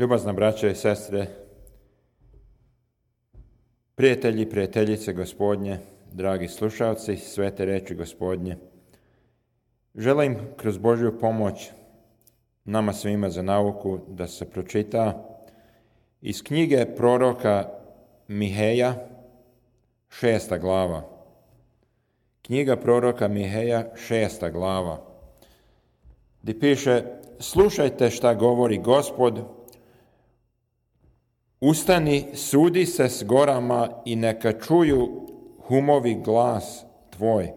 Ljubazna braćo i sestre, prijatelji i prijateljice Gospodnje, dragi slušalci, svete reči Gospodnje, želim kroz Božju pomoć nama svima za nauku da se pročita iz knjige proroka Miheja, 6. glava. Knjiga proroka Miheja, 6. glava, gdje piše: slušajte šta govori Gospod, ustani, sudi se s gorama i neka čuju humovi glas tvoj.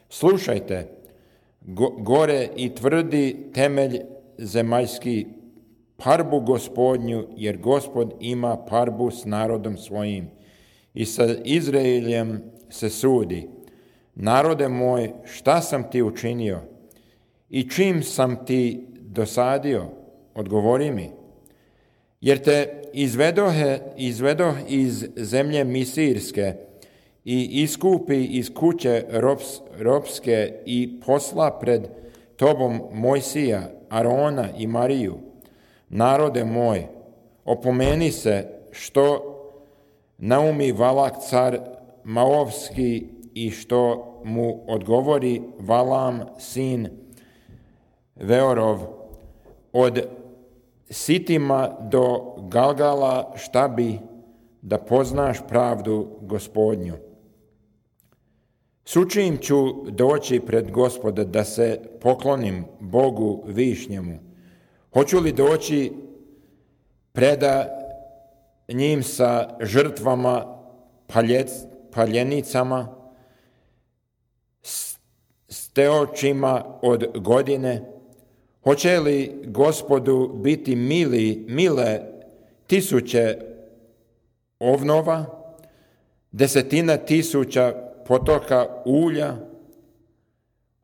Slušajte, gore i tvrdi temelj zemaljski, parbu Gospodnju, jer Gospod ima parbu s narodom svojim i sa Izraeljem se sudi. Narode moj, šta sam ti učinio i čim sam ti dosadio? Odgovori mi. Jer te izvedoh iz zemlje Misirske i iskupi iz kuće ropske i posla pred tobom Mojsija, Arona i Mariju. Narode moj, opomeni se što naumi Valak car Maovski i što mu odgovori Valam sin Veorov od Sitima do Galgala, šta bi da poznaš pravdu Gospodnju. Sučim ću doći pred Gospoda da se poklonim Bogu višnjemu. Hoću li doći preda njim sa žrtvama, paljenicama, s teočima od godine? Hoće li Gospodu biti mile tisuće ovnova, 10,000 potoka ulja?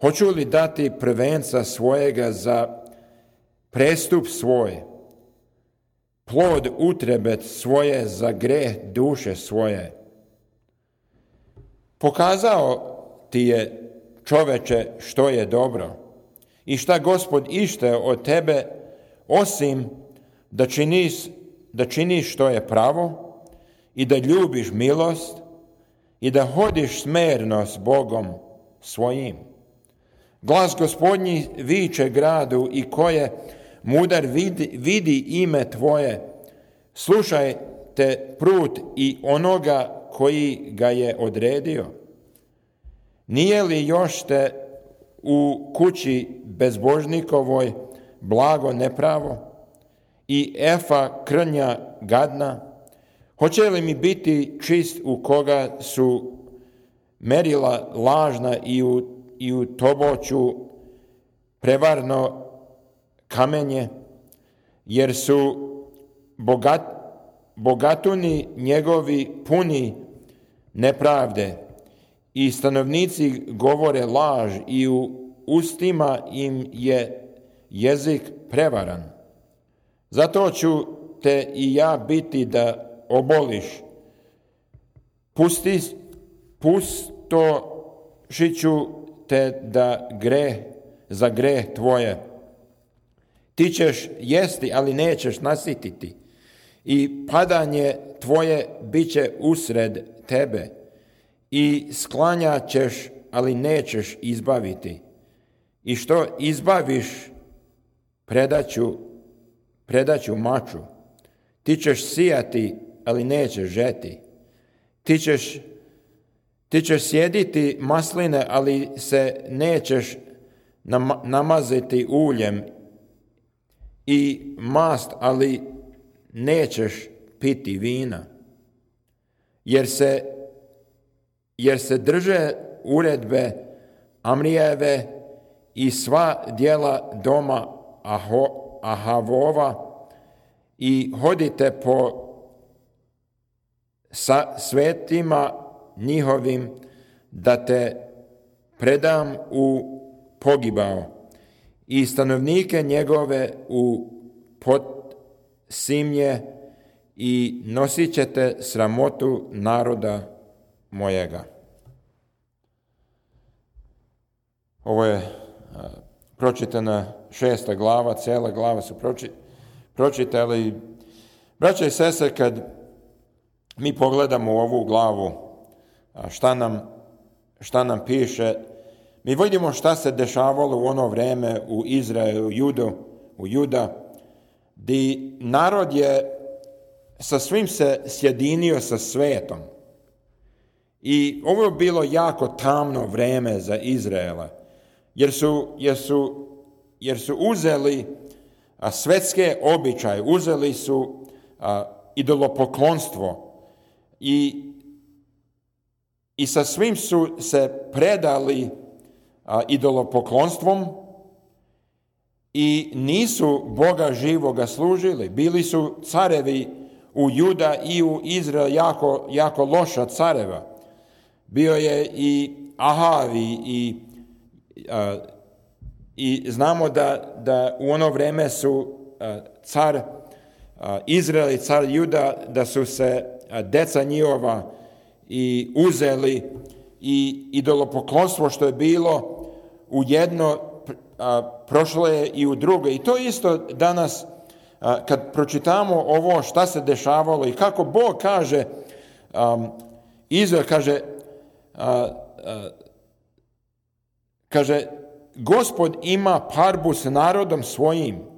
Hoću li dati prvenca svojega za prestup svoj, plod utrebe svoje za greh duše svoje? Pokazao ti je, čoveče, što je dobro i šta Gospod ište od tebe, osim da činiš što je pravo i da ljubiš milost i da hodiš smerno s Bogom svojim. Glas Gospodnji viče gradu i koje mudar vidi ime tvoje. Slušajte prut i onoga koji ga je odredio. Nije li još te u kući bezbožnikovoj blago nepravo i efa krnja gadna? Hoće li mi biti čist u koga su merila lažna i u toboću prevarno kamenje, jer su bogatuni njegovi puni nepravde i stanovnici govore laž i u ustima im je jezik prevaran. Zato ću te i ja biti da oboliš, pustošiću te da za greh tvoje. Ti ćeš jesti, ali nećeš nasititi, i padanje tvoje bit će usred tebe, i sklanjat ćeš, ali nećeš izbaviti. I što izbaviš, predaću maču. Ti ćeš sijati, ali nećeš žeti. Ti ćeš sjediti masline, ali se nećeš namaziti uljem, i mast, ali nećeš piti vina. Jer se drže uredbe Amrijeve i sva djela doma Ahavova i hodite po svetima njihovim da te predam u pogibao i stanovnike njegove u podsimlje i nosit ćete sramotu naroda mojega. Ovo je pročitana 6. glava, cijela glava su pročitali Braće i sestre, kad mi pogledamo u ovu glavu, šta nam piše, mi vidimo šta se dešavalo u ono vreme u Izraelu, u Juda, gdje narod je sa svim se sjedinio sa svetom. I ovo je bilo jako tamno vreme za Izraela, jer su uzeli svetske običaje, uzeli su idolopoklonstvo i sa svim su se predali idolopoklonstvom i nisu Boga živoga služili. Bili su carevi u Juda i u Izrael jako loša careva. Bio je i Ahav i znamo da u ono vrijeme su car Izrael i car Juda, da su se deca njihova i uzeli i idolopoklonstvo što je bilo u jedno, prošlo je i u drugo. I to isto danas, kad pročitamo ovo šta se dešavalo i kako Bog kaže, Izrael kaže, Gospod ima parbu s narodom svojim.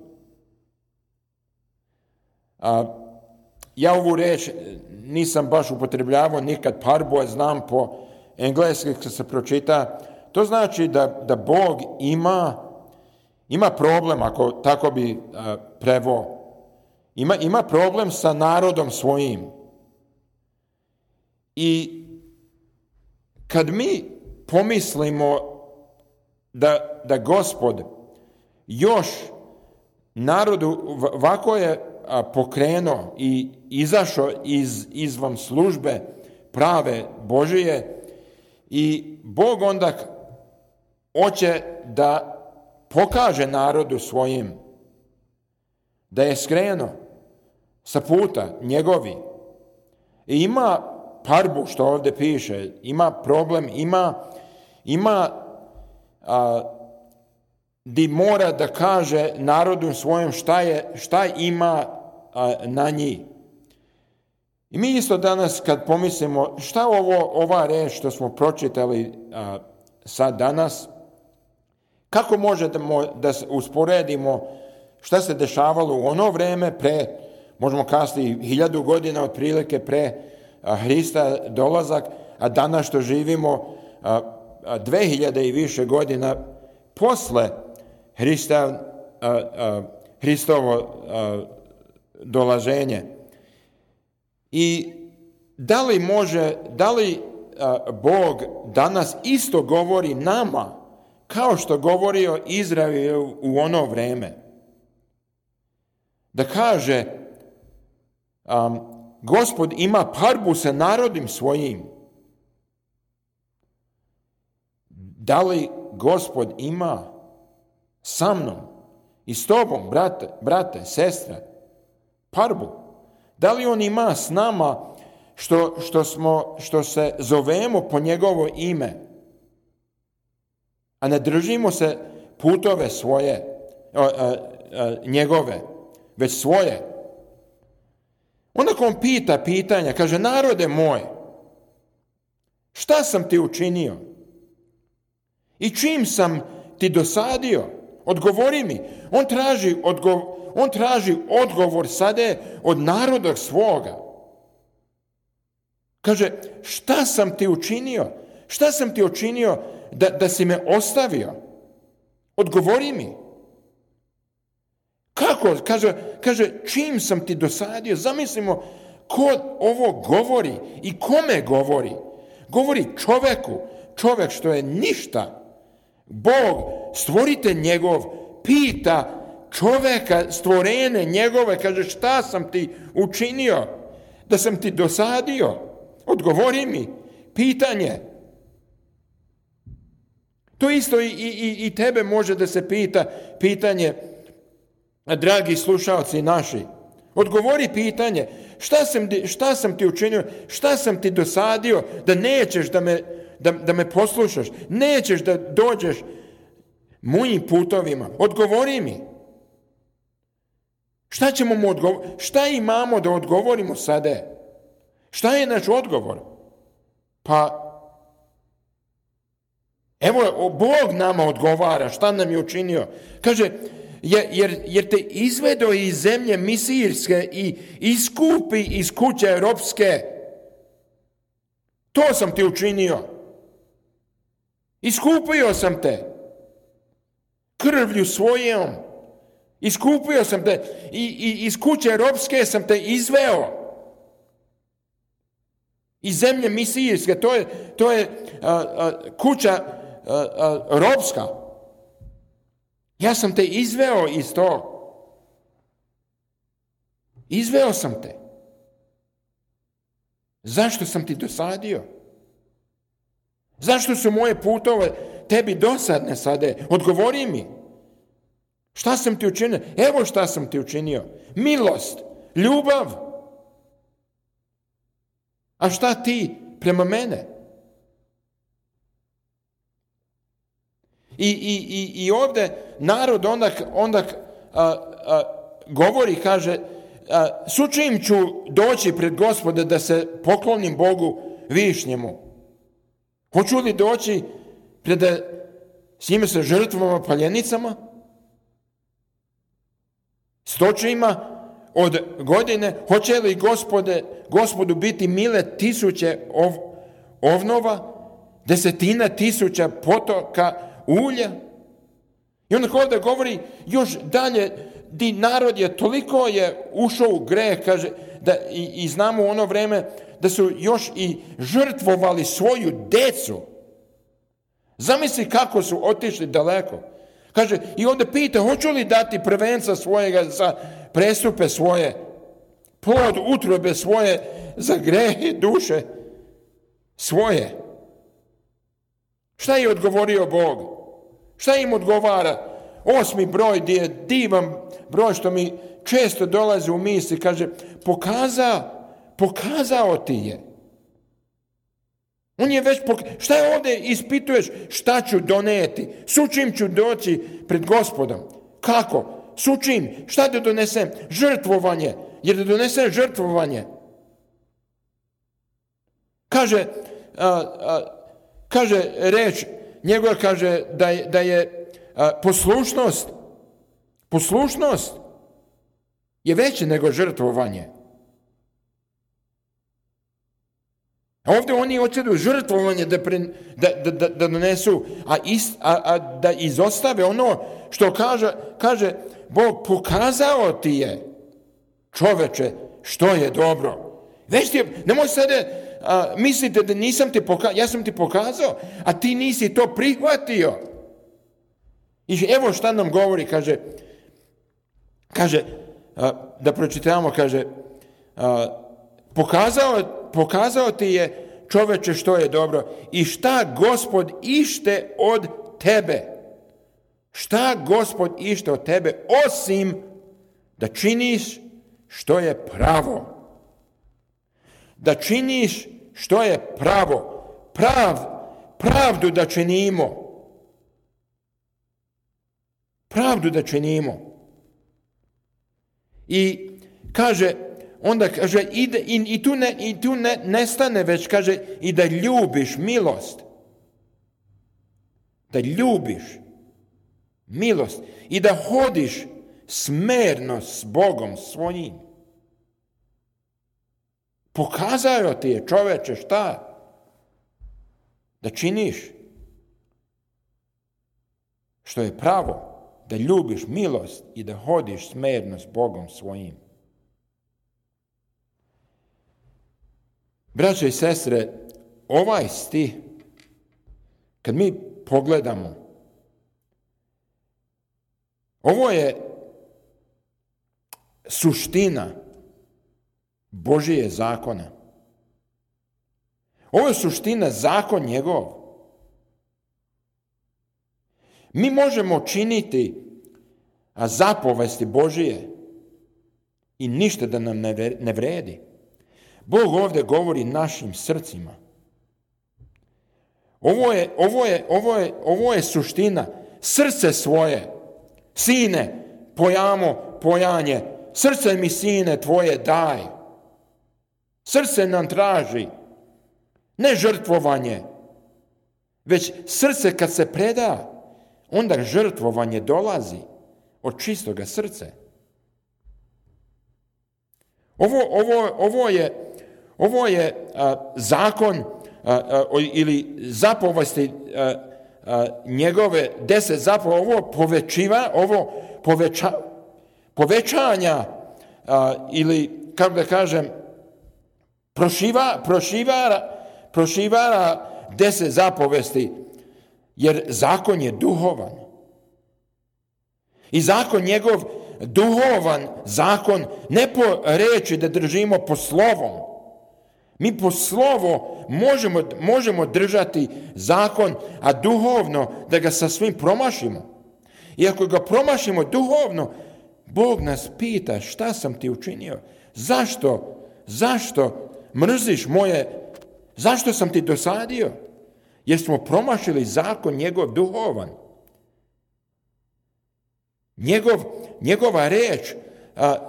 Ja ovu reč nisam baš upotrebljavao nikad parbu, a znam po engleski kad se pročita. To znači da Bog ima problem, ako tako bi preveo. Ima problem sa narodom svojim. I kad mi pomislimo da Gospod još narodu ovako je pokrenuo i izašao izvan službe prave Božije i Bog onda hoće da pokaže narodu svojim da je skrenuo sa puta njegovi. I ima parbu, što ovdje piše, ima problem, ima di mora da kaže narodu svojim šta ima na njih. I mi isto danas kad pomislimo šta ova reč što smo pročitali sad danas, kako možemo da usporedimo šta se dešavalo u ono vrijeme možemo kazati 1000 godina otprilike pre Hrista dolazak, a danas što živimo 2000 i više godina posle Hristovo dolaženje. I da li Bog danas isto govori nama kao što govorio Izraelu u ono vrijeme? Da kaže, Gospod ima parbu sa narodom svojim. Da li Gospod ima sa mnom i s tobom, brate, sestre, parbu? Da li on ima s nama što se zovemo po njegovo ime, a ne držimo se putove svoje, njegove, već svoje? Onda on pita pitanja, kaže, narode moj, šta sam ti učinio? I čim sam ti dosadio? Odgovori mi. On traži odgovor sada od naroda svoga. Kaže, šta sam ti učinio? Šta sam ti učinio da si me ostavio? Odgovori mi. Kako? Kaže, čim sam ti dosadio? Zamislimo ko ovo govori i kome govori. Govori čovjek što je ništa. Bog, stvoritelj njegov, pita čovjeka, stvorene njegove, kaže, šta sam ti učinio da sam ti dosadio? Odgovori mi. Pitanje. To isto i tebe može da se pitanje, dragi slušalci naši. Odgovori pitanje. Šta sam ti učinio? Šta sam ti dosadio da nećeš da me poslušaš? Nećeš da dođeš mojim putovima? Odgovori mi. Šta ćemo mu odgovoriti? Šta imamo da odgovorimo sada? Šta je naš odgovor? Pa, evo, Bog nama odgovara šta nam je učinio. Kaže, jer te izvedo iz zemlje misirske i iskupi iz kuće ropske. To sam ti učinio. Iskupio sam te. Krvlju svojom. Iskupio sam te. I iz kuće ropske sam te izveo. Iz zemlje misirske. To je kuća ropska. Ja sam te izveo iz tog. Izveo sam te. Zašto sam ti dosadio? Zašto su moje putove tebi dosadne sada? Odgovori mi. Šta sam ti učinio? Evo šta sam ti učinio. Milost, ljubav. A šta ti prema mene? I ovdje narod onda govori, kaže, sučim ću doći pred Gospoda da se poklonim Bogu višnjemu. Hoću li doći s njime sa žrtvama, paljenicama, stočima od godine? Hoće li Gospodu biti mile tisuće ovnova, 10.000 potoka ulja? I onda ovdje govori još dalje, di narod je toliko ušao u greh, kaže, i znamo u ono vrijeme da su još i žrtvovali svoju decu. Zamisli kako su otišli daleko. Kaže, i onda pita, hoću li dati prvenca svojega za prestupe svoje, plod utrobe svoje za grehe duše svoje. Šta je odgovorio Bog? Šta im odgovara? 8. broj, gdje je divan broj što mi često dolazi u misli, kaže, pokazao ti je. On je već šta je ovdje ispituješ? Šta ću doneti? Sučim ću doći pred Gospodom. Kako? Sučim. Šta da donesem? Žrtvovanje. Jer da donesem žrtvovanje. Kaže reč njegova, kaže da je poslušnost je veće nego žrtvovanje. A ovdje oni hoće žrtvovanje da donesu, a da izostave ono što kaže Bog, pokazao ti je, čoveče, što je dobro. Već ti je, nemoj sada mislite da nisam ti pokazao, ja sam ti pokazao, a ti nisi to prihvatio. I evo šta nam govori, kaže, da pročitamo, kaže, pokazao ti je, čoveče, što je dobro i šta Gospod ište od tebe. Šta Gospod ište od tebe, osim da činiš što je pravo. Da činiš što je pravo. Pravdu da činimo. Pravdu da činimo. I kaže, onda kaže, i tu ne stane, već kaže, i da ljubiš milost. Da ljubiš milost. I da hodiš smerno s Bogom svojim. Pokazao ti je, čoveče, šta? Da činiš što je pravo. Da ljubiš milost i da hodiš smerno s Bogom svojim. Braćo i sestre, ovaj stih, kad mi pogledamo, ovo je suština Božije zakona. Ovo je suština, zakon njegov. Mi možemo činiti zapovesti Božije i ništa da nam ne vredi. Bog ovdje govori našim srcima. Ovo je suština. Srce svoje, sine, pojanje, srce mi sine tvoje daj. Srce nam traži, ne žrtvovanje, već srce kad se preda, onda žrtvovanje dolazi od čistoga srca. Ovo je zakon ili zapovesti njegove 10 zapovesti, ovo povećanja ili, kako da kažem, prošivara 10 zapovesti, jer zakon je duhovan. I zakon njegov duhovan zakon, ne po reči da držimo po slovom. Mi po slovo možemo držati zakon, a duhovno da ga sa svim promašimo. I ako ga promašimo duhovno, Bog nas pita šta sam ti učinio? Zašto mrziš moje? Zašto sam ti dosadio? Jer smo promašili zakon njegov duhovan. Njegova reč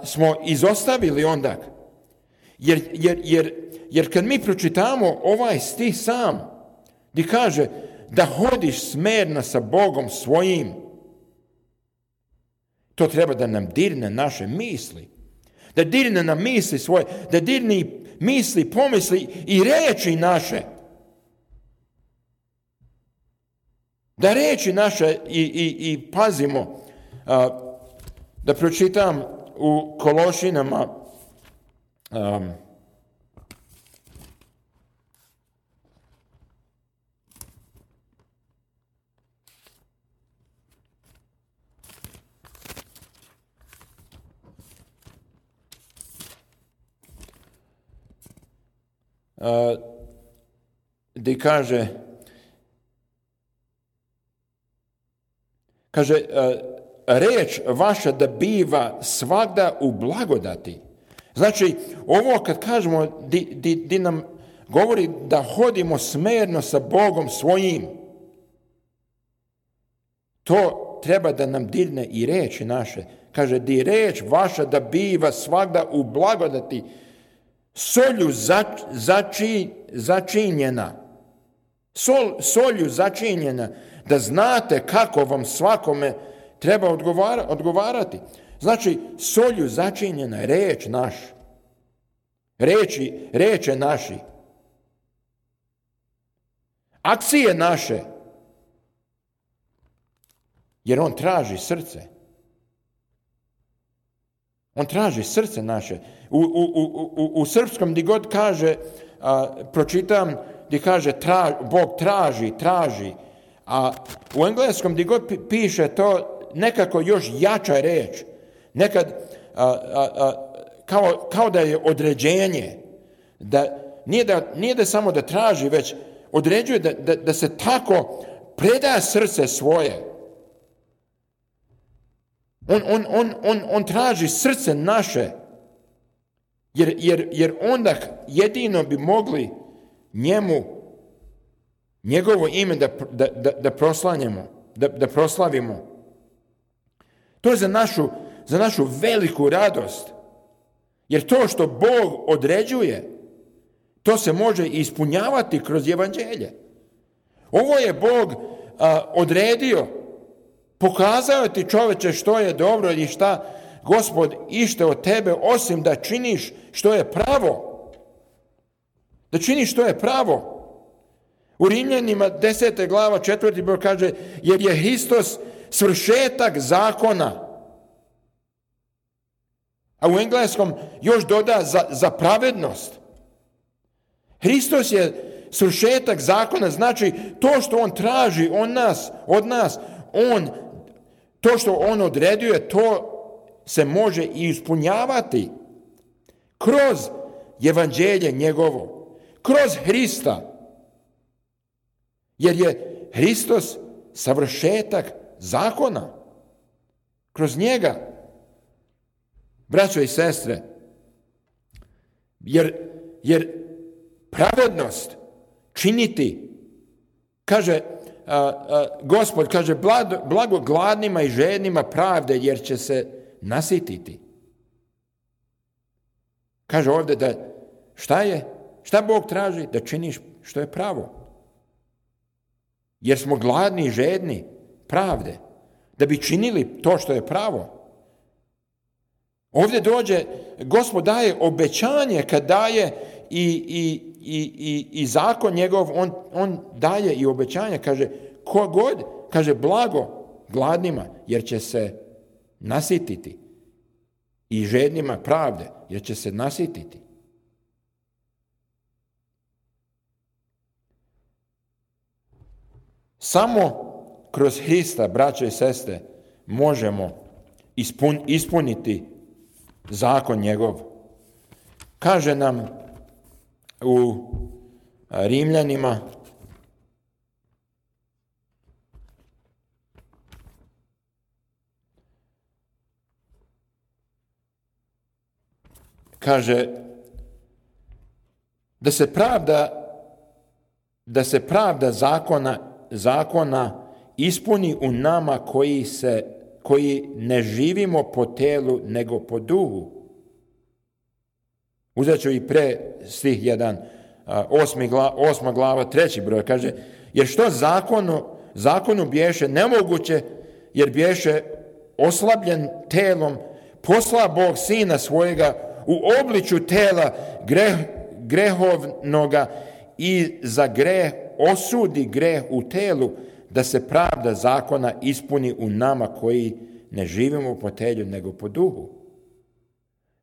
smo izostavili onda. Jer kad mi pročitamo ovaj stih sam, gdje kaže da hodiš smerno sa Bogom svojim, to treba da nam dirne naše misli. Da dirne nam misli svoje, da dirne misli, pomisli i reči naše. Da reči naše i pazimo, da pročitam u Kološinama gdje kaže reč vaša da biva svagda u blagodati. Znači, ovo kad kažemo di nam govori da hodimo smerno sa Bogom svojim, to treba da nam dirne i reči naše. Kaže, di reč vaša da biva svagda u blagodati, solju začinjena. Solju začinjena, da znate kako vam svakome treba odgovarati. Znači, solju začinjena reč naš. Reče naši. Akcije naše. Jer on traži srce. On traži srce naše. U srpskom gdje god kaže, pročitam, gdje kaže Bog traži. A u engleskom gdje god piše to nekako još jača reč. Nekad kao da je određenje. Da nije da samo da traži, već određuje da se tako preda srce svoje. On traži srce naše. Jer onda jedino bi mogli njegovo ime da proslanjamo, da proslavimo. To je za našu veliku radost. Jer to što Bog određuje, to se može ispunjavati kroz evanđelje. Ovo je Bog odredio, pokazao ti, čoveče, što je dobro i šta Gospod ište od tebe, osim da činiš što je pravo. Da činiš što je pravo. U Rimljanima 10. glava 4. broj kaže, jer je Hristos svršetak zakona. A u engleskom još doda za pravednost. Hristos je svršetak zakona, znači to što on traži od nas, to što on određuje, to se može i ispunjavati kroz evanđelje njegovo, kroz Hrista. Jer je Hristos savršetak zakona. Kroz njega. Braćo i sestre, jer pravednost činiti, kaže Gospod, kaže blago gladnima i žednima pravde, jer će se nasititi. Kaže ovdje da šta Bog traži? Da činiš što je pravo. Jer smo gladni i žedni pravde. Da bi činili to što je pravo. Ovdje dođe, Gospod daje obećanje kad daje i zakon njegov, on daje i obećanje. Kaže, ko god, kaže blago gladnima jer će se nasititi. I žednima pravde jer će se nasititi. Samo kroz Hrista, braće i sestre, možemo ispuniti zakon njegov. Kaže nam u Rimljanima, kaže da se pravda zakona ispuni u nama koji ne živimo po telu nego po duhu. Uzet ću i pre stih 1, 8. glava, 3. broj, kaže, jer što zakonu biješe nemoguće, jer biješe oslabljen telom, posla Bog sina svojega u obličju tela grehovnoga i za greh osudi greh u telu, da se pravda zakona ispuni u nama koji ne živimo po telu nego po duhu.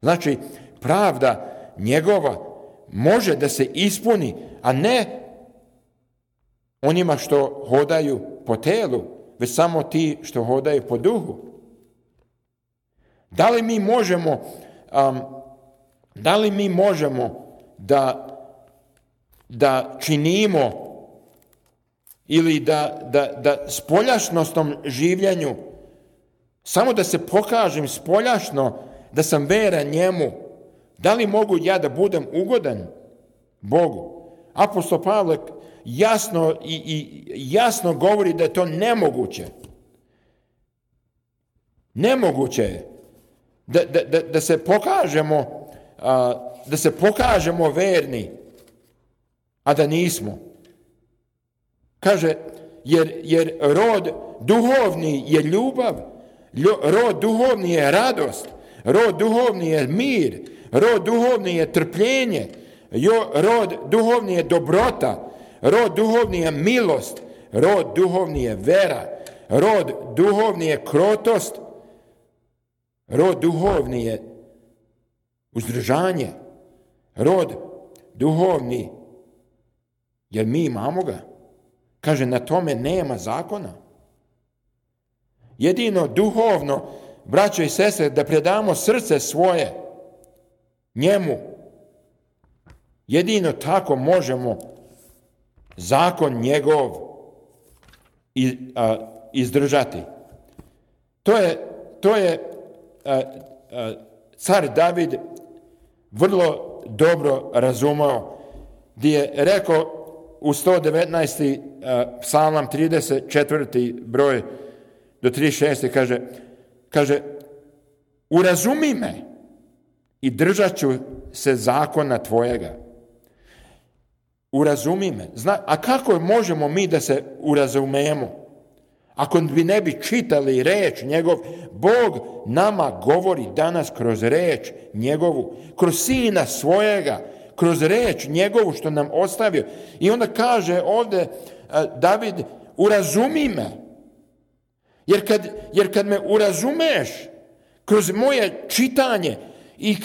Znači, pravda njegova može da se ispuni, a ne onima što hodaju po telu, već samo ti što hodaju po duhu. Da li mi možemo da činimo ili da spoljašnostom življenju samo da se pokažem spoljašno da sam veran njemu? Da li mogu ja da budem ugodan Bogu? Apostol Pavle jasno govori da je to nemoguće. Nemoguće je da se pokažemo verni, a da nismo. Kaže, jer rod duhovni je ljubav, rod duhovni je radost, rod duhovni je mir, rod duhovni je trpljenje, rod duhovni je dobrota, rod duhovni je milost, rod duhovni je vera, rod duhovni je krotost, rod duhovni je uzdržanje, rod duhovni, jer mi imamo ga. Kaže, na tome nema zakona. Jedino duhovno, braćo i sestre, da predamo srce svoje njemu. Jedino tako možemo zakon njegov izdržati. To je car David vrlo dobro razumao, gdje je rekao u 119. psalam 34. broj do 36. kaže urazumi me i držat ću se zakona tvojega. Urazumi me. A kako možemo mi da se urazumemo? Ako ne bi čitali reč njegov, Bog nama govori danas kroz reč njegovu, kroz sina svojega, kroz reč njegovu što nam ostavio. I onda kaže ovdje David, urazumi me. Jer kad me urazumeš kroz moje čitanje i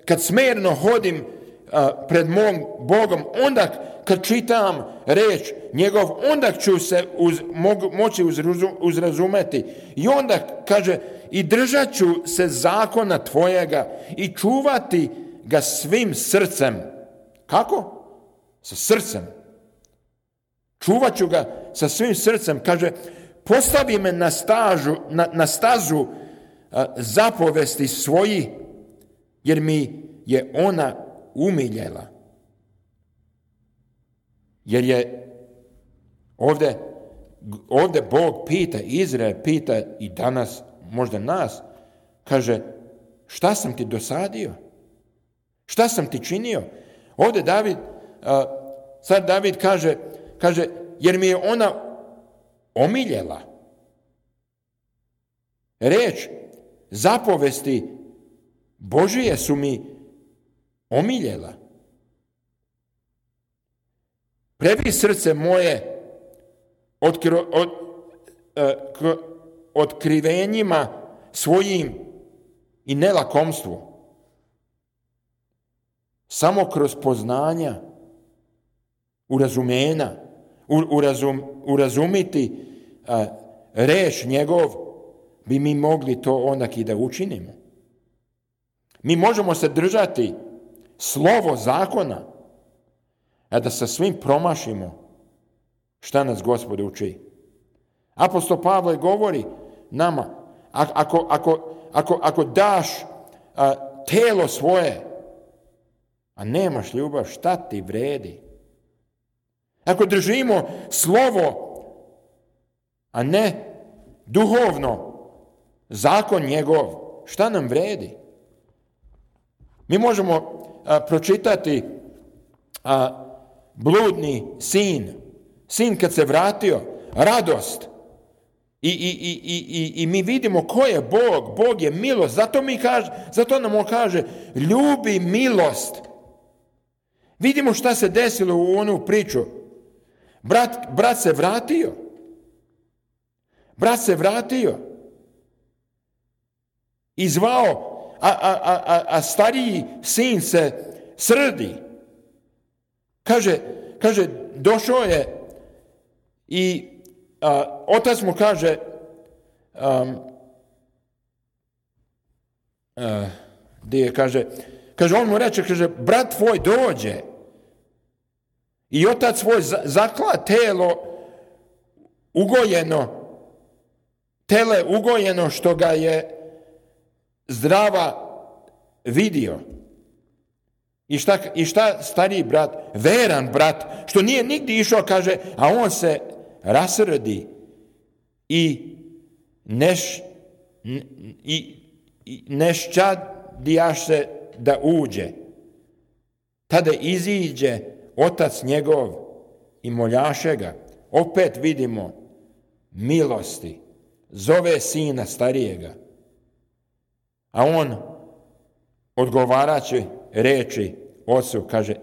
kad smjerno hodim pred mom Bogom, onda kad čitam reč njegov, onda ću se moći uzrazumeti. I onda kaže, i držat ću se zakona tvojega i čuvati ga svim srcem. Kako? Sa srcem. Čuvat ću ga sa svim srcem. Kaže, postavi me na stazu zapovesti svoji, jer mi je ona umiljela. Jer je ovdje ovdje Bog pita, Izrael pita i danas, možda nas, kaže, šta sam ti dosadio? Šta sam ti činio? Ovdje David kaže, jer mi je ona omiljela. Reč, zapovesti Božije su mi omiljela. Prebi srce moje otkrivenjima svojim i nelakomstvu. Samo kroz poznanja, urazumiti reč njegov, bi mi mogli to onak i da učinimo. Mi možemo se držati slovo zakona, a da sa svim promašimo šta nas Gospod uči. Apostol Pavle govori nama, ako daš telo svoje, a nemaš ljubav, šta ti vredi? Ako držimo slovo, a ne duhovno, zakon njegov, šta nam vredi? Mi možemo pročitati bludni sin kad se vratio, radost. I mi vidimo ko je Bog. Bog je milost. Zato nam on kaže, ljubi milost. Vidimo šta se desilo u onu priču. Brat se vratio. I zvao, a stariji sin se srdi. Kaže, došao je i otac mu kaže, on mu reče, brat tvoj dođe. I otac svoj zakla tele ugojeno što ga je zdrava vidio. I šta stariji brat, veran brat, što nije nigdje išao, kaže, a on se rasrdi i neščadijaš se da uđe. Tada iziđe otac njegov i moljaše ga. Opet vidimo milosti. Zove sina starijega. A on odgovarajući reči ocu kaže,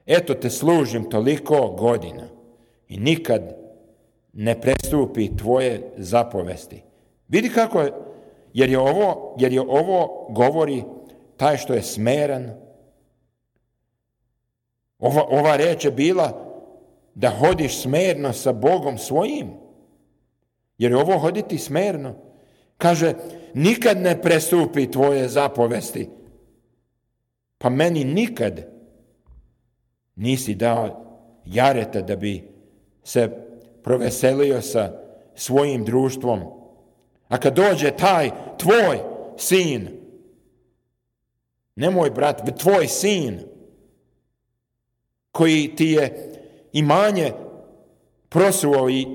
eto te služim toliko godina i nikad ne prestupi tvoje zapovesti. Vidi kako je, jer je ovo govori taj što je smeran. Ova reč je bila da hodiš smerno sa Bogom svojim. Jer je ovo hoditi smerno. Kaže, nikad ne prestupi tvoje zapovesti. Pa meni nikad nisi dao jareta da bi se proveselio sa svojim društvom. A kad dođe taj tvoj sin, ne moj brat, tvoj sin, koji ti je imanje prosuo i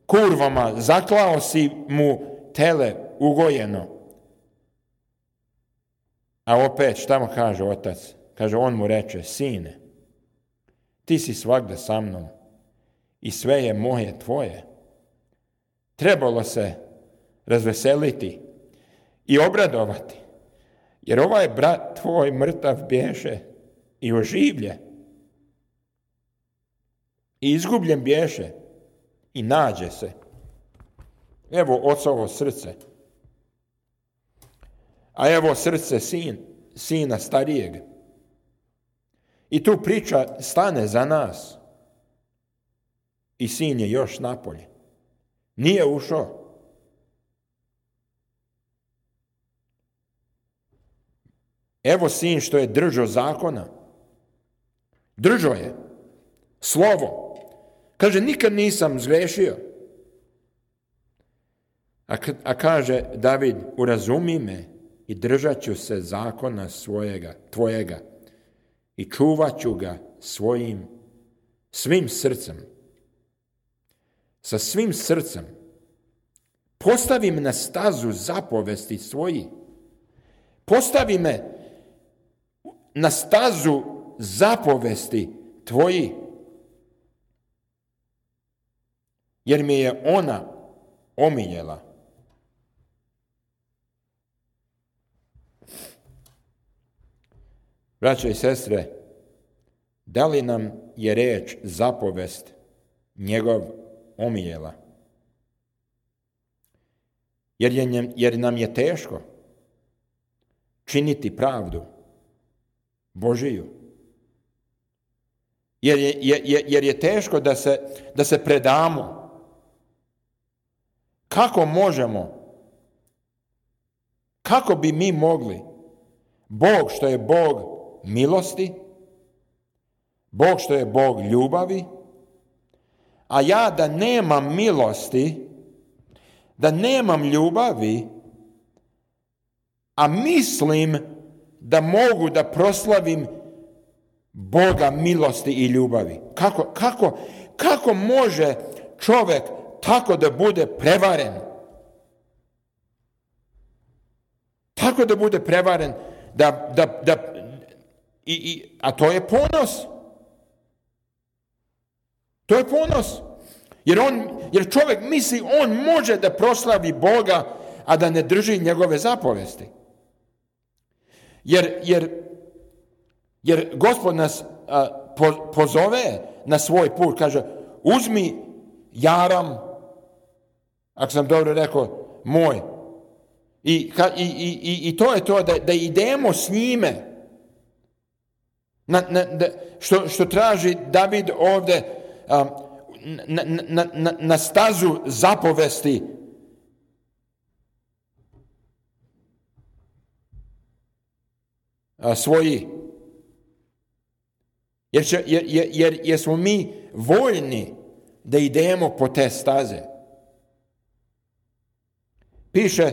kurvama, zaklao si mu tele ugojeno. A opet, šta mu kaže otac? Kaže, on mu reče, sine, ti si svagda sa mnom i sve je moje tvoje. Trebalo se razveseliti i obradovati, jer ovaj brat tvoj mrtav bješe i oživlje. I izgubljen bješe i nađe se. Evo ocovo srce. A evo srce sina starijeg. I tu priča stane za nas. I sin je još napolje. Nije ušao. Evo sin što je držao zakona. Držao je. Slovo. Kaže, nikad nisam zgrešio. A kaže David, urazumi me i držat ću se zakona tvojega i čuvat ću ga svim srcem. sa svim srcem. Postavi me na stazu zapovesti svoji. Postavi me na stazu zapovesti tvoji. Jer mi je ona omiljela. Braćo i sestre, da li nam je reč zapovest njegov omiljela? Jer nam je teško činiti pravdu Božiju. Jer je teško da se predamo. Kako možemo? Kako bi mi mogli? Bog što je Bog milosti, Bog što je Bog ljubavi, a ja da nemam milosti, da nemam ljubavi, a mislim da mogu da proslavim Boga milosti i ljubavi. Kako može čovjek tako da bude prevaren? Tako da bude prevaren a to je ponos. To je ponos. Jer čovjek misli on može da proslavi Boga, a da ne drži njegove zapovesti. Jer Gospod nas pozove na svoj put, kaže uzmi jaram, ako sam dobro rekao, moj. I to je to da idemo s njime. Što traži David ovdje na stazu zapovesti. Svoji. Jer smo mi voljni da idemo po te staze. Piše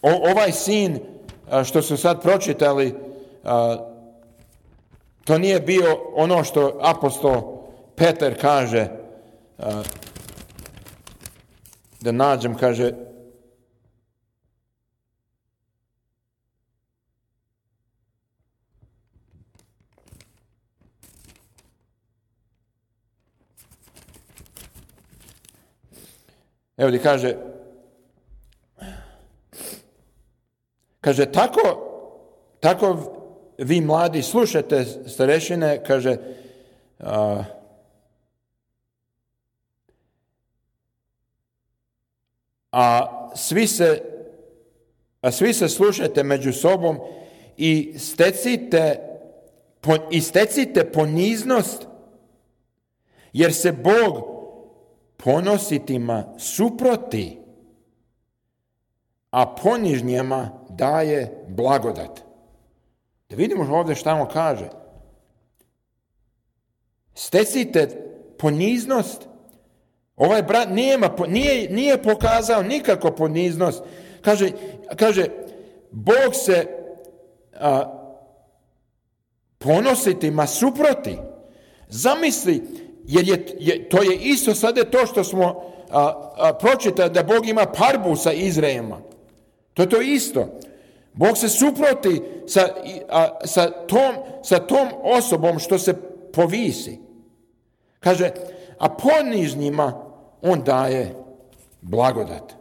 ovaj sin što su sad pročitali, to nije bio ono što apostol Petar kaže, da nađem, kaže, evo gdje kaže tako vi mladi slušate starešine, kaže, a svi se slušate među sobom i stecite poniznost, jer se Bog ponositima suproti, a ponižnjima daje blagodat. Da vidimo ovdje šta on kaže. Stecite poniznost. Ovaj brat nije pokazao nikako poniznost. Kaže Bog se ponositima suproti. Zamisli, jer to je isto sada to što smo pročitali da Bog ima parbu sa Izraelima. To je to isto. Bog se suproti sa tom osobom što se povisi. Kaže, a ponižnjima on daje blagodat.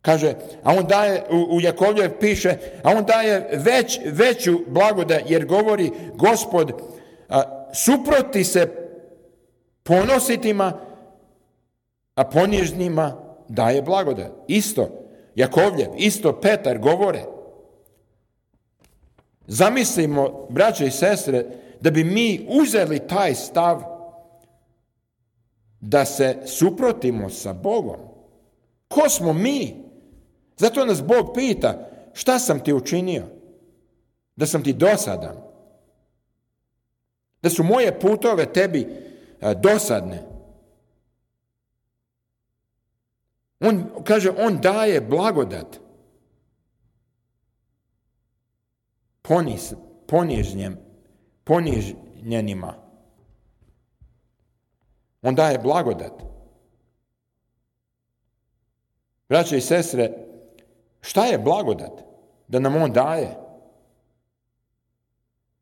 Kaže, a on daje, u Jakovljev piše, a on daje veću blagodat, jer govori Gospod, suproti se ponositima, a ponižnjima daje blagodat. Isto Jakovljev, isto Petar govore. Zamislimo, braće i sestre, da bi mi uzeli taj stav da se suprotimo sa Bogom. Ko smo mi? Zato nas Bog pita, šta sam ti učinio? Da sam ti dosadan? Da su moje putove tebi dosadne? On kaže, on daje blagodat. poniznijenima. On daje blagodat. Braće i sestre, šta je blagodat da nam on daje?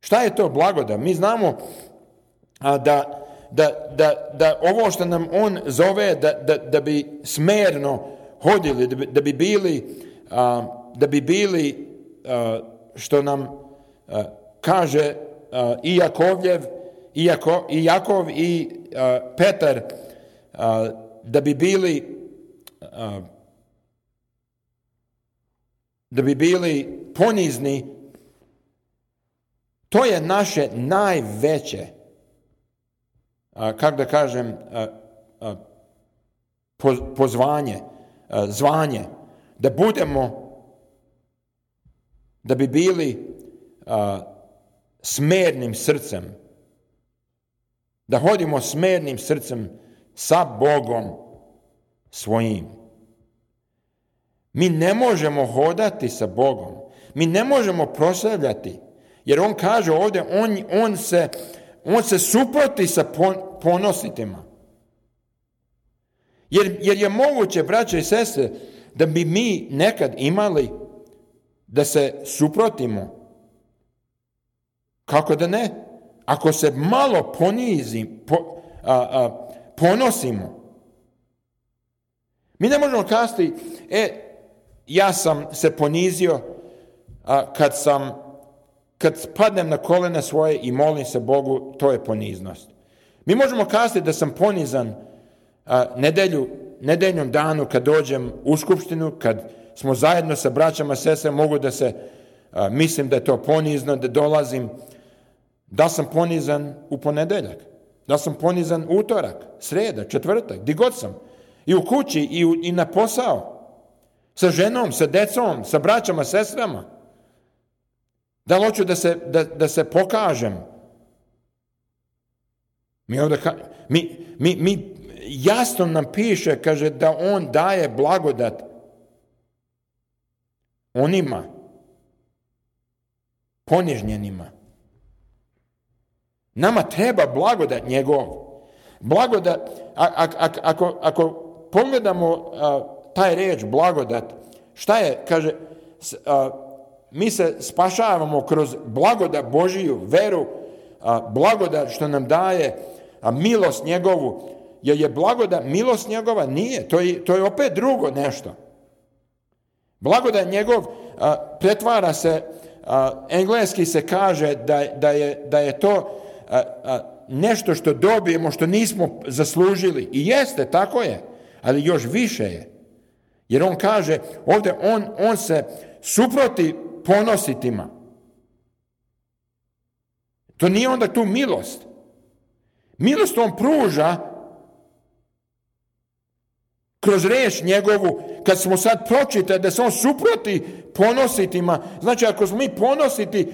Šta je to blagodat? Mi znamo da ovo što nam on zove da bi smerno hodili, da bi bili što nam kaže i Jakov i Petar, da bi bili ponizni. To je naše najveće, kako da kažem, zvanje, da bi bili smernim srcem, da hodimo smernim srcem sa Bogom svojim. Mi ne možemo hodati sa Bogom, mi ne možemo proslavljati, jer on kaže ovdje, on se suproti sa ponositima. Jer je moguće, braće i sestre, da bi mi nekad imali da se suprotimo. Kako da ne? Ako se malo ponosimo. Mi ne možemo kazati, ja sam se ponizio kad padnem na kolena svoje i molim se Bogu, to je poniznost. Mi možemo kazati da sam ponizan nedeljnom danu kad dođem u skupštinu, kad smo zajedno sa braćama, sestrama, mogu da se, mislim da je to ponizno, da dolazim. Da sam ponizan u ponedeljak, da sam ponizan utorak, sreda, četvrtak, gdje god sam. I u kući, i na posao. Sa ženom, sa decom, sa braćama, sestrama. Da li hoću da se pokažem? Mi jasno nam piše, kaže, da on daje blagodat onima ponižnjenima. Nama treba blagodat njegov. Blagodat, ako pogledamo taj riječ blagodat, šta je, kaže, mi se spašavamo kroz blagodat Božiju, veru, blagodat što nam daje milost njegovu. Jer je blagodat milost njegova? Nije. To je opet drugo nešto. Blagodat njegov pretvara se, engleski se kaže da je to nešto što dobijemo, što nismo zaslužili. I jeste, tako je. Ali još više je. Jer on kaže, ovdje on se suproti ponositima. To nije onda tu milost. Milost on pruža kroz riječ njegovu, kad smo sad pročitali da se on suproti ponositima. Znači, ako smo mi ponositi,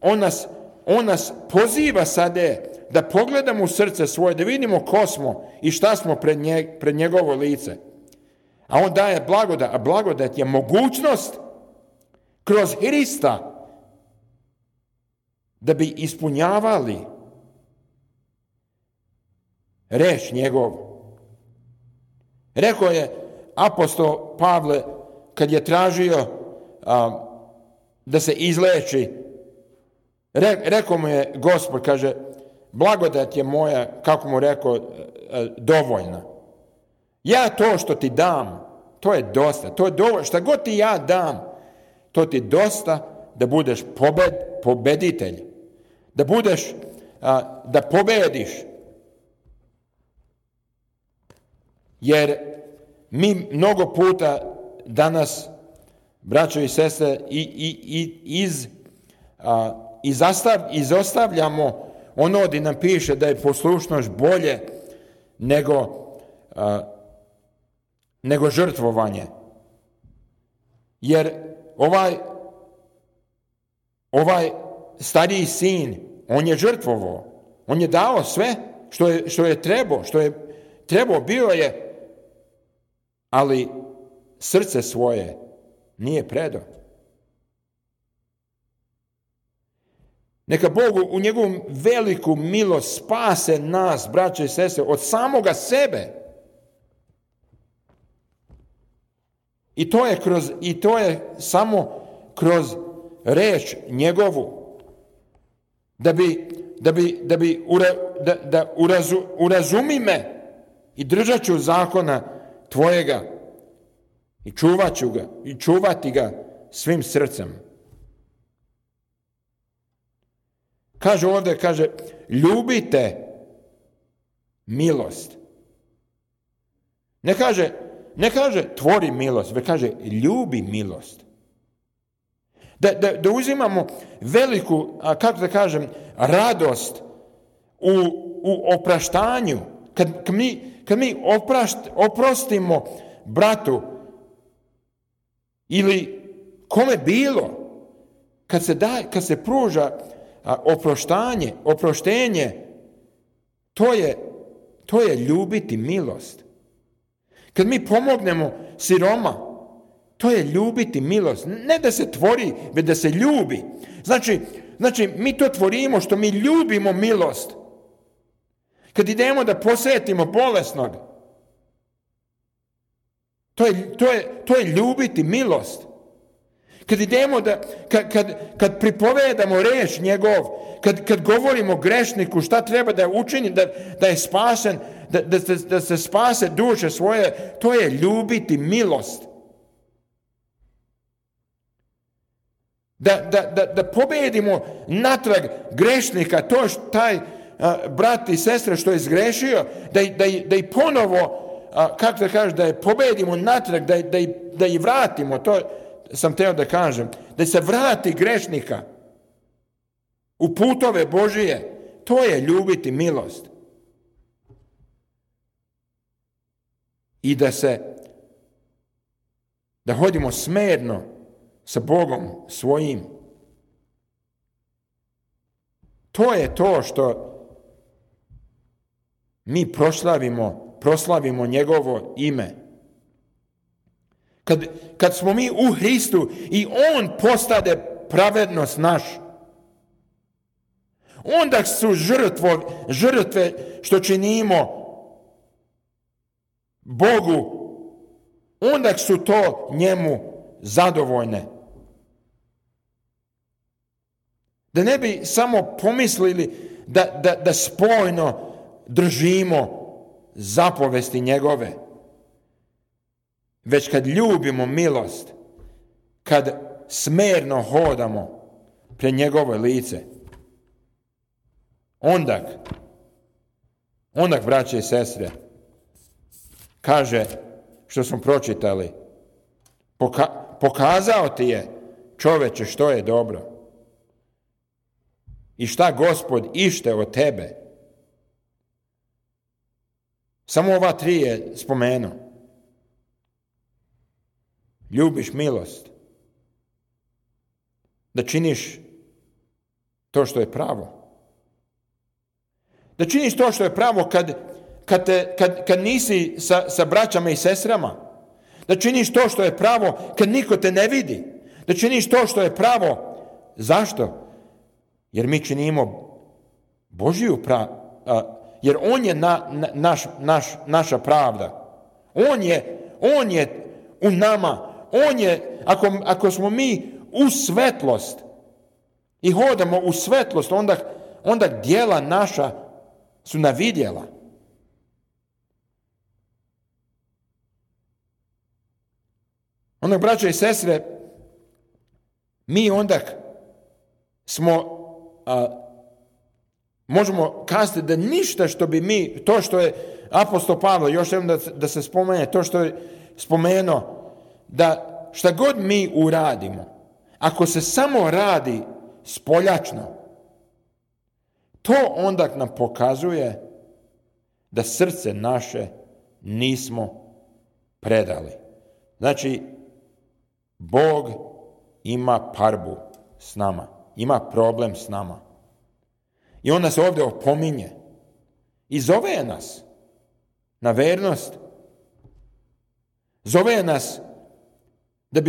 on nas poziva sada da pogledamo u srce svoje, da vidimo ko smo i šta smo pred njegovo lice. A on daje blagodat, a blagodat je mogućnost kroz Hrista da bi ispunjavali reč njegov. Rekao je apostol Pavle kad je tražio da se izleči, rekao mu je Gospod, kaže, blagodat je moja, kako mu rekao, dovoljna. Ja to što ti dam, to je dosta, to je dovoljno. Šta god ti ja dam, to ti dosta da budeš pobeditelj, da pobediš. Jer mi mnogo puta danas, braćo i sestre, izostavljamo ono gdje nam piše da je poslušnost bolje nego žrtvovanje. Jer ovaj stariji sin, on je žrtvovao. On je dao sve što je trebao, bio je, ali srce svoje nije predao. Neka Bog u njegovu veliku milost spase nas, braće i sestre, od samoga sebe. I to je samo kroz reč njegovu. Da urazumi me i držat ću zakona tvojega i čuvat ću ga i čuvati ga svim srcem. Kaže ovdje, ljubite milost. Ne kaže tvori milost, već kaže ljubi milost. Da uzimamo veliku, radost u opraštanju. Kad mi oprostimo bratu ili kome bilo, kad se pruža oproštenje, to je ljubiti milost. Kad mi pomognemo siroma, to je ljubiti milost. Ne da se tvori, već da se ljubi. Znači, mi to tvorimo što mi ljubimo milost. Kad idemo da posjetimo bolesnog, to je ljubiti milost. Kad idemo kad pripovedamo reč njegov, kad govorimo grešniku šta treba da učini, da je spasen, da se spase duše svoje, to je ljubiti milost. Da pobedimo natrag grešnika, to taj brat i sestra što je zgrešio, da i ponovo, da je pobedimo natrag, da i vratimo, to sam teo da kažem, da se vrati grešnika u putove Božije, to je ljubiti milost. I da hodimo smerno sa Bogom svojim. To je to što mi proslavimo njegovo ime. Kad smo mi u Hristu i on postade pravednost naš, onda su žrtve što činimo Bogu, onda su to njemu zadovoljne. Da ne bi samo pomislili da spojno držimo zapovesti njegove, već kad ljubimo milost, kad smerno hodamo pred njegovo lice, onda, braće i sestre, kaže što smo pročitali, pokazao ti je, čoveče, što je dobro i šta Gospod ište od tebe. Samo ova 3 je spomenuo. Ljubiš milost, da činiš to što je pravo. Da činiš to što je pravo kad nisi sa braćama i sestrama. Da činiš to što je pravo kad niko te ne vidi. Da činiš to što je pravo. Zašto? Jer mi činimo Božiju jer on je naša pravda. On je u nama. On je, ako smo mi u svetlost i hodamo u svetlost, onda djela naša su na vidjela. Onda, braćo i sestre, mi onda možemo kazati da ništa što bi mi, to što je apostol Pavle, još jednom da se spomene, to što je spomenuo, da šta god mi uradimo, ako se samo radi spoljačno, to onda nam pokazuje da srce naše nismo predali. Znači, Bog ima parbu s nama, ima problem s nama. I on nas ovdje opominje i zove nas na vernost. Zove nas da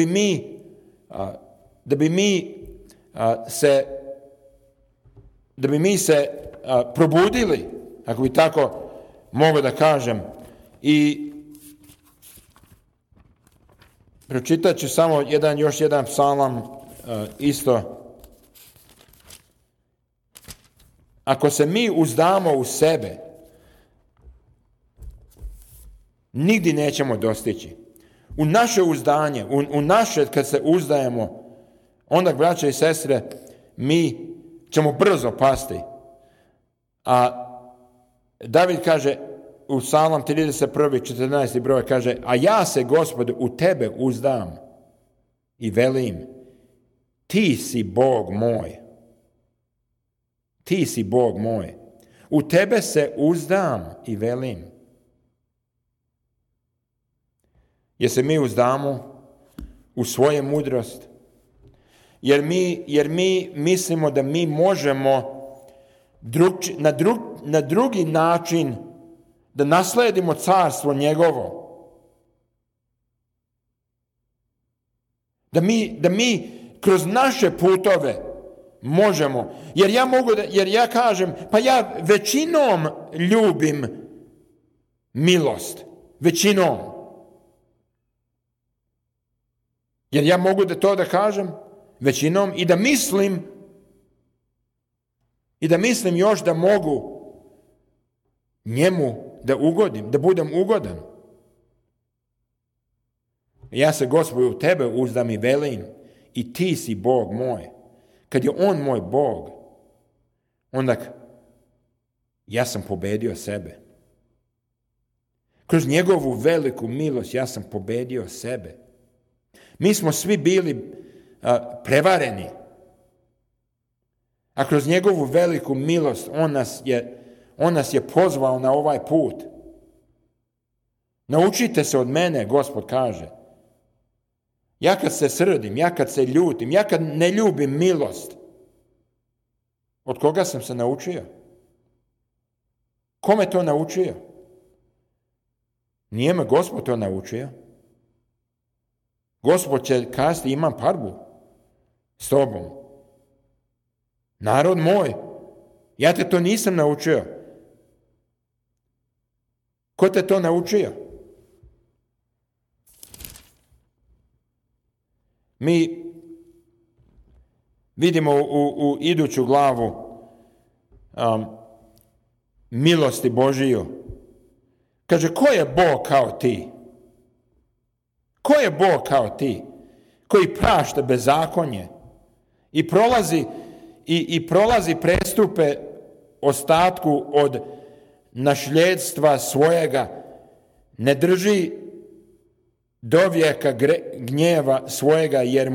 bi mi se da bi mi se probudili, ako bi tako mogu da kažem. I pročitat ću samo još jedan psalam isto. Ako se mi uzdamo u sebe, nigdje nećemo dostići. U naše uzdanje, u naše kad se uzdajemo, onda, braće i sestre, mi ćemo brzo pasti. A David kaže u Psalam 31. 14. broj, kaže: a ja se, Gospode, u tebe uzdam i velim, ti si Bog moj. Ti si Bog moj. U tebe se uzdam i velim. Jer se mi uzdamo u svoju mudrost. Jer mi mislimo da mi možemo na drugi način da nasledimo carstvo njegovo. Da mi kroz naše putove možemo. Jer ja kažem, pa ja većinom ljubim milost. Većinom. Jer ja mogu da kažem većinom i da mislim još da mogu njemu da ugodim, da budem ugodan. Ja se, Gospodu, u tebe uzdam i velim, i ti si Bog moj. Kad je on moj Bog, onda ja sam pobedio sebe. Kroz njegovu veliku milost ja sam pobedio sebe. Mi smo svi bili prevareni. A kroz njegovu veliku milost on nas je pozvao na ovaj put. Naučite se od mene, Gospod kaže. Ja kad se srdim, ja kad se ljutim, ja kad ne ljubim milost, od koga sam se naučio? Kome to naučio? Nije me Gospod to naučio. Gospod će kazati, imam parbu s tobom. Narod moj, ja te to nisam naučio. Ko te to naučio? Mi vidimo u iduću glavu milosti Božiju. Kaže, ko je Bog kao ti? Ko je Bog kao ti? Koji prašta bezakonje i prolazi prestupe ostatku od našljedstva svojega, ne drži do vijeka gnjeva svojega jer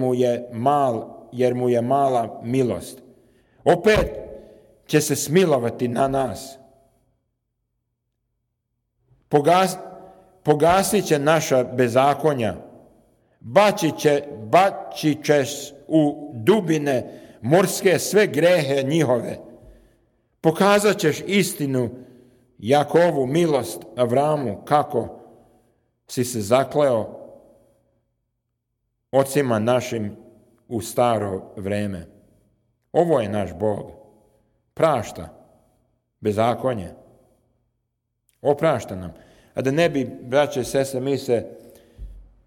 mu je mala milost. Opet će se smilovati na nas. Pogasit će naša bezakonja. Bačit ćeš u dubine morske sve grehe njihove. Pokazat ćeš istinu Jakovu, milost Avramu, kako si se zakleo ocima našim u staro vreme. Ovo je naš Bog. Prašta bezakonje. Oprašta nam. A da ne bi, braće i sestre,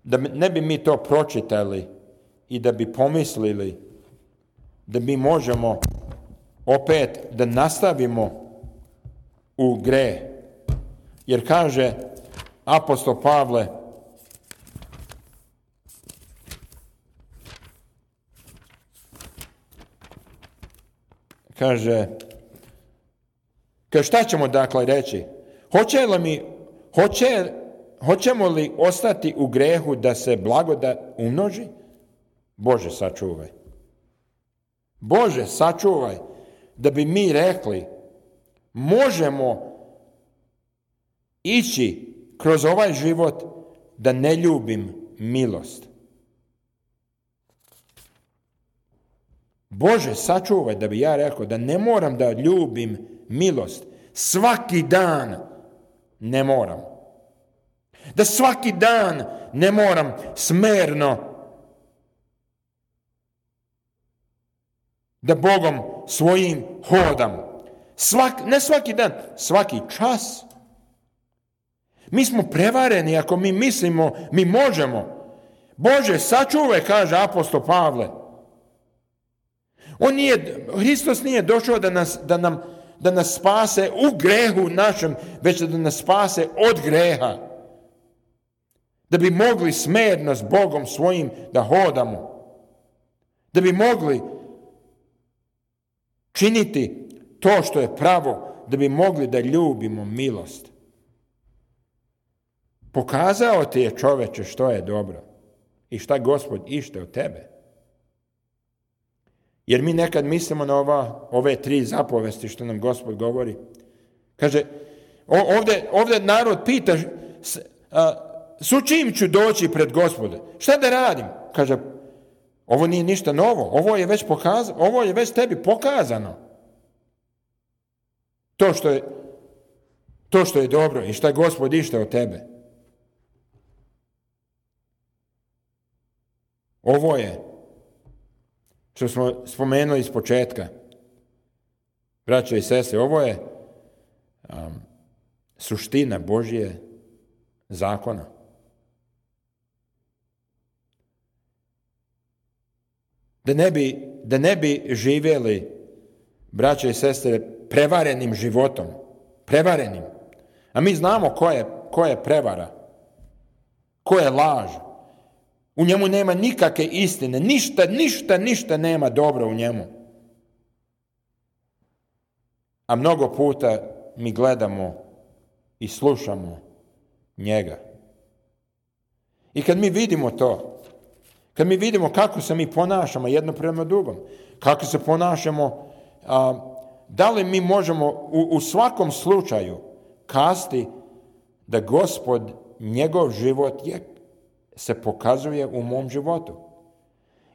da ne bi mi to pročitali i da bi pomislili da mi možemo opet da nastavimo u greh. Jer kaže apostol Pavle, kaže šta ćemo dakle reći? Hoćemo li ostati u grehu da se blagodat umnoži? Bože, sačuvaj. Bože, sačuvaj da bi mi rekli možemo ići kroz ovaj život da ne ljubim milost. Bože, sačuvaj da bi ja rekao da ne moram da ljubim milost. Svaki dan ne moram. Da svaki dan ne moram smerno da Bogom svojim hodam. Ne svaki dan, svaki čas. Mi smo prevareni ako mi mislimo, mi možemo. Bože, sačuvaj, kaže apostol Pavle. Hristos nije došao da nas spase u grehu našem, već da nas spase od greha. Da bi mogli smerno s Bogom svojim da hodamo. Da bi mogli činiti to što je pravo, da bi mogli da ljubimo milost. Pokazao ti je, čoveče, što je dobro i šta Gospod ište od tebe. Jer mi nekad mislimo na ove 3 zapovesti što nam Gospod govori. Kaže, ovdje narod pita, s čim ću doći pred Gospoda? Šta da radim? Kaže, ovo nije ništa novo, ovo je već tebi pokazano. To što je dobro i šta Gospod ište od tebe. Ovo je, što smo spomenuli iz početka, braćo i sestre, ovo je suština Božje zakona. Da ne bi živjeli, braćo i sestre, prevarenim životom. Prevarenim. A mi znamo ko je prevara. Ko je laž. U njemu nema nikakve istine. Ništa nema dobro u njemu. A mnogo puta mi gledamo i slušamo njega. I kad mi vidimo to, kad mi vidimo kako se mi ponašamo jedno prema drugom, kako se ponašamo, da li mi možemo u svakom slučaju kazati da Gospod, njegov život se pokazuje u mom životu.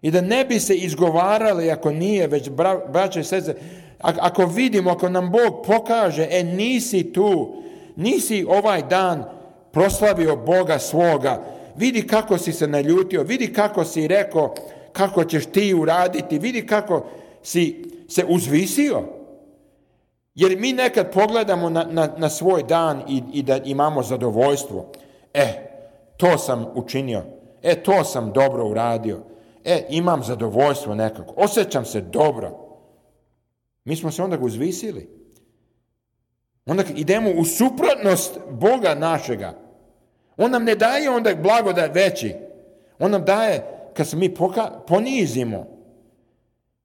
I da ne bi se izgovarali ako nije, već braće i sestre, ako vidimo, ako nam Bog pokaže, nisi tu, nisi ovaj dan proslavio Boga svoga, vidi kako si se naljutio, vidi kako si rekao, kako ćeš ti uraditi, vidi kako si se uzvisio. Jer mi nekad pogledamo na svoj dan i da imamo zadovoljstvo. To sam učinio. To sam dobro uradio. Imam zadovoljstvo nekako. Osjećam se dobro. Mi smo se onda uzvisili. Onda idemo u suprotnost Boga našega. On nam ne daje onda blagodat veći. On nam daje kad se mi ponizimo.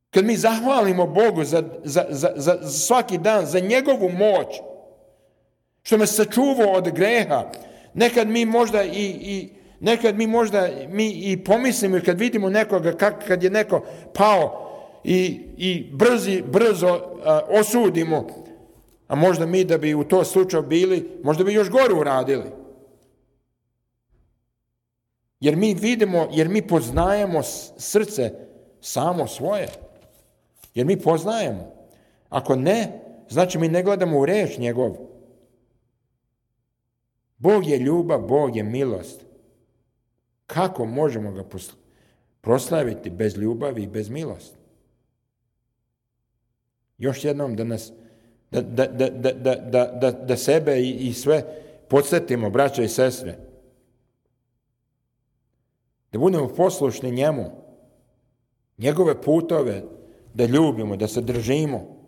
Kad mi zahvalimo Bogu za svaki dan, za njegovu moć. Što me sačuvao od greha. Nekad mi možda i pomislimo kad vidimo nekoga, kad je neko pao i brzo osudimo, a možda mi da bi u to slučaju bili, možda bi još gore uradili. Jer mi vidimo, jer mi poznajemo srce samo svoje. Jer mi poznajemo. Ako ne, znači mi ne gledamo u reč njegov. Bog je ljubav, Bog je milost. Kako možemo ga proslaviti bez ljubavi i bez milosti? Još jednom da sebe i sve podsjetimo, braćo i sestre. Da budemo poslušni njemu. Njegove putove da ljubimo, da se držimo.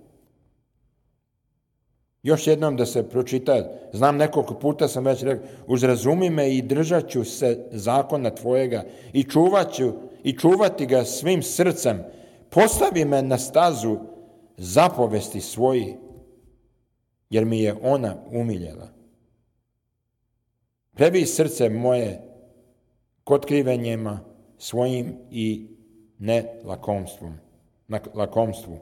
Još jednom da se pročita, znam nekoliko puta sam već rekao, uzrazumi me i držat ću se zakona tvojega i čuvati ga svim srcem. Postavi me na stazu zapovesti svoji, jer mi je ona umiljela. Prebi srce moje kotkrivenjima svojim i ne lakomstvu.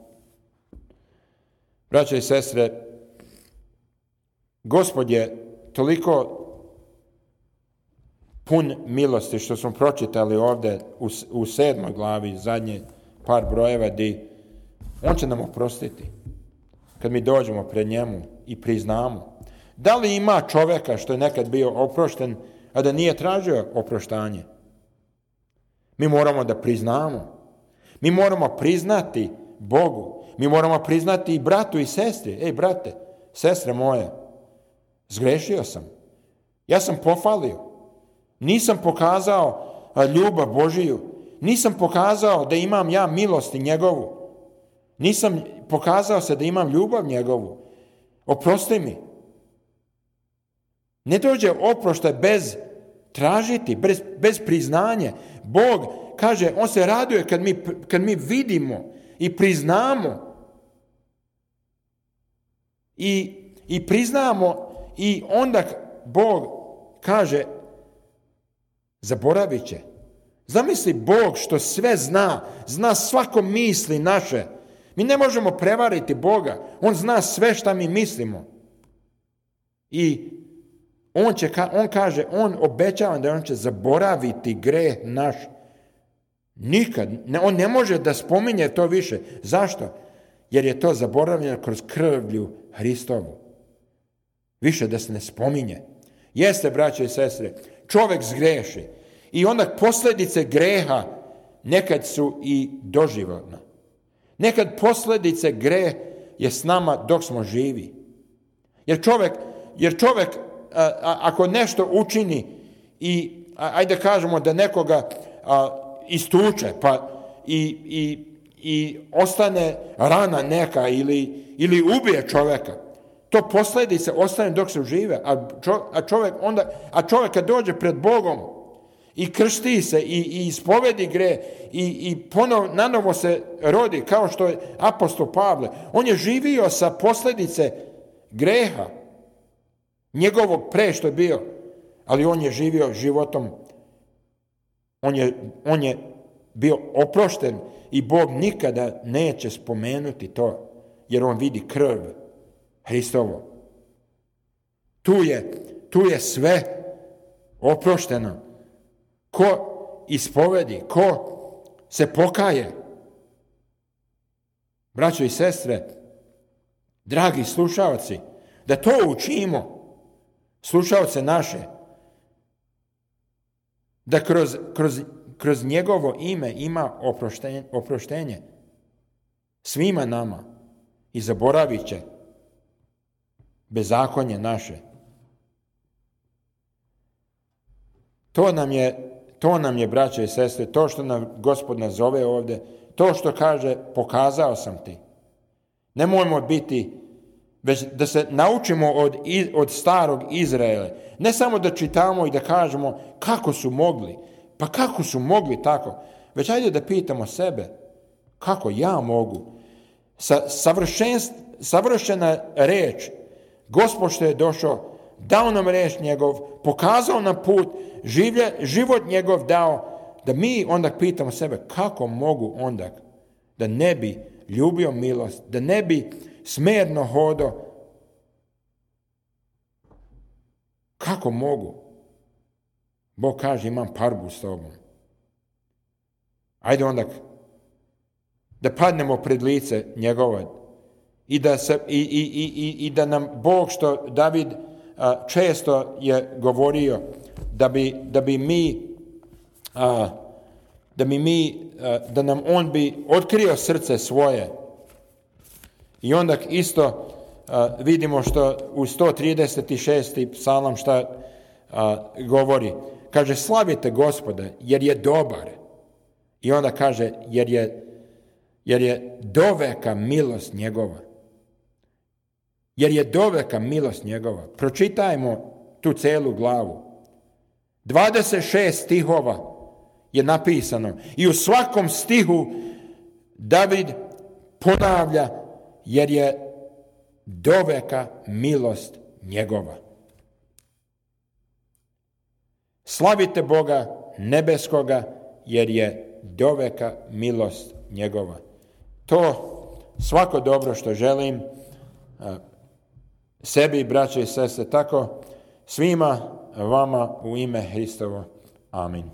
Braćo i sestre, Gospod je toliko pun milosti što smo pročitali ovdje u 7. glavi, zadnje par brojeva, di on će nam oprostiti kad mi dođemo pred njemu i priznamo. Da li ima čovjeka što je nekad bio oprošten, a da nije tražio oproštanje? Mi moramo da priznamo. Mi moramo priznati Bogu. Mi moramo priznati i bratu i sestri. Ej, brate, sestre moje, zgrešio sam. Ja sam pofalio. Nisam pokazao ljubav Božiju. Nisam pokazao da imam ja milosti njegovu. Nisam pokazao se da imam ljubav njegovu. Oprosti mi. Ne dođe oproštaj bez tražiti, bez priznanje. Bog kaže, on se raduje kad mi vidimo i priznamo. I priznamo i onda Bog kaže, zaboravit će. Zamisli Bog što sve zna svako misli naše. Mi ne možemo prevariti Boga. On zna sve šta mi mislimo. I on kaže, on obećava da on će zaboraviti greh naš. Nikad. On ne može da spominje to više. Zašto? Jer je to zaboravljeno kroz krvlju Hristovu. Više da se ne spominje. Jeste, braće i sestre, čovjek zgreši. I onda posljedice greha nekad su i doživotne. Nekad posljedice greh je s nama dok smo živi. Jer čovjek ako nešto učini i ajde kažemo da nekoga istuče pa i ostane rana neka ili ubije čovjeka, to posljedice ostane dok se žive, a čovjek kad dođe pred Bogom i krsti se i ispovedi greh i nanovo se rodi kao što je apostol Pavle, on je živio sa posljedice greha njegovog pre što je bio, ali on je živio životom, on je bio oprošten i Bog nikada neće spomenuti to, jer on vidi krv Hristovo. Tu je sve oprošteno. Ko ispovedi, ko se pokaje. Braćo i sestre, dragi slušalci, da to učimo, slušalce naše, da kroz njegovo ime ima oproštenje svima nama i zaboravit će bezakonje naše. To nam je, braće i sestre, to što nam Gospod nazove ovdje, to što kaže, pokazao sam ti. Nemojmo biti, već da se naučimo od starog Izraela. Ne samo da čitamo i da kažemo kako su mogli, pa kako su mogli tako, već ajde da pitamo sebe, kako ja mogu. Savršena reč, Gospod što je došao, dao nam reč njegov, pokazao nam put, život njegov dao, da mi onda pitamo sebe kako mogu onda da ne bi ljubio milost, da ne bi smerno hodao. Kako mogu? Bog kaže, imam parbu s tobom. Ajde onda da padnemo pred lice njegova i da nam Bog, što David često je govorio, da nam on bi otkrio srce svoje. I onda isto vidimo što u 136. psalam šta govori. Kaže, slavite Gospoda jer je dobar. I onda kaže, jer je doveka milost njegova. Jer je doveka milost njegova. Pročitajmo tu celu glavu. 26 stihova je napisano. I u svakom stihu David ponavlja, jer je doveka milost njegova. Slavite Boga nebeskoga, jer je doveka milost njegova. To svako dobro što želim sebi, braće i sestre, tako svima vama u ime Hristovo. Amin.